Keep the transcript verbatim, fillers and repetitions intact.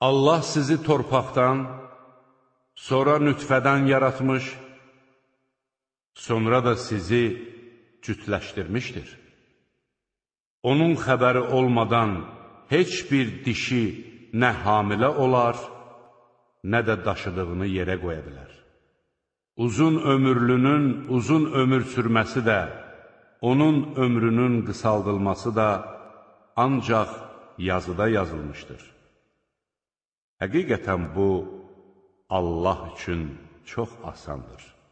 Allah sizi torpaqdan, sonra nütfədən yaratmış, sonra da sizi cütləşdirmişdir. Onun xəbəri olmadan heç bir dişi nə hamilə olar, nə də daşıdığını yerə qoya bilər. Uzun ömürlünün uzun ömür sürməsi də, onun ömrünün qısaldılması da ancaq yazıda yazılmışdır. Həqiqətən bu, Allah üçün çox asandır.